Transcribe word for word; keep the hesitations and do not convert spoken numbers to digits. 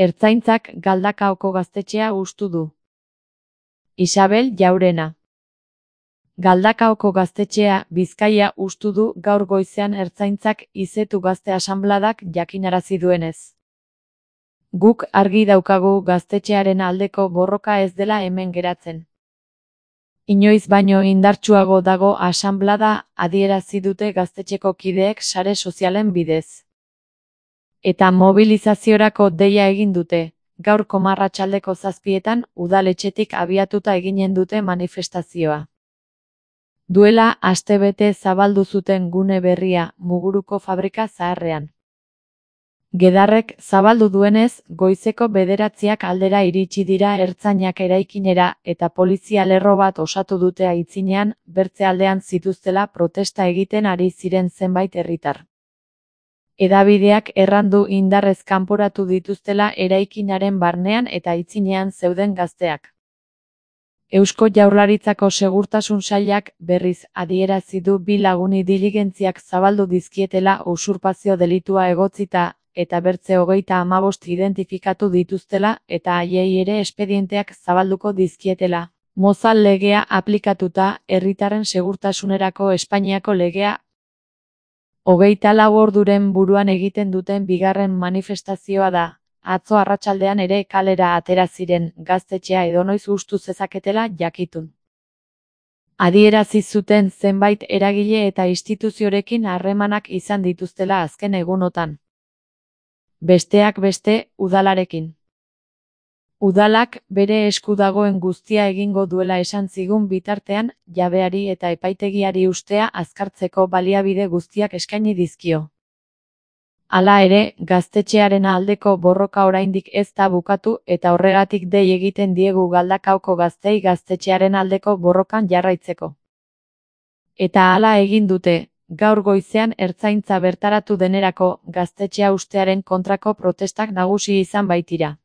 Ertzaintzak Galdakaoko gaztetxea hustu du. Isabel Jaurena. Galdakaoko gaztetxea Bizkaia hustu du gaur goizean Ertzaintzak Izetu Gazte Asanbladak jakinarazi duenez. Guk argi daukagu gaztetxearen aldeko borroka ez dela hemen geratzen. Inoiz baino indartsuago dago asanblada, adierazi dute gaztetxeko kideek sare sozialen bidez. Eta mobilizaziorako deia egin dute, gaurko arratsaldeko zazpietan udaletxetik abiatuta eginen dute manifestazioa. Duela astebete zabaldu zuten gune berria Muguruko fabrika zaharrean. Gedarrek zabaldu duenez, goizeko bederatziak aldera iritsi dira ertzainak eraikinera eta polizia lerro bat osatu dute aitzinean, bertze aldean zituztela protesta egiten ari ziren zenbait herritar. Hedabideak errandu indarrez kanporatu dituztela eraikinaren barnean eta aitzinean zeuden gazteak. Eusko Jaurlaritzako Segurtasun Sailak berriz adierazi du bi laguni diligentziak zabaldu dizkietela usurpazio delitua egotzita, eta bertze hogeita hamabost identifikatu dituztela eta haiei ere espedienteak zabalduko dizkietela. Mozal legea aplikatuta, herritarren segurtasunerako Espainiako legea. Hogeita lau orduren buruan egiten duten bigarren manifestazioa da. Atzo arratsaldean ere kalera atera ziren, gaztetxea edonoiz hustu zezaketela jakitun. Adierazi zuten zenbait eragile eta instituziorekin harremanak izan dituztela azken egunotan. Besteak beste, udalarekin. Udalak bere esku dagoen guztia egingo duela esan zigun bitartean, jabeari eta epaitegiari ustea azkartzeko baliabide guztiak eskaini dizkio. Hala ere, gaztetxearen aldeko borroka oraindik ez da bukatu eta horregatik dei egiten diegu Galdakaoko gaztei gaztetxearen aldeko borrokan jarraitzeko. Eta hala egin dute, gaur goizean Ertzaintza bertaratu denerako, gaztetxea hustearen kontrako protestak nagusi izan baitira.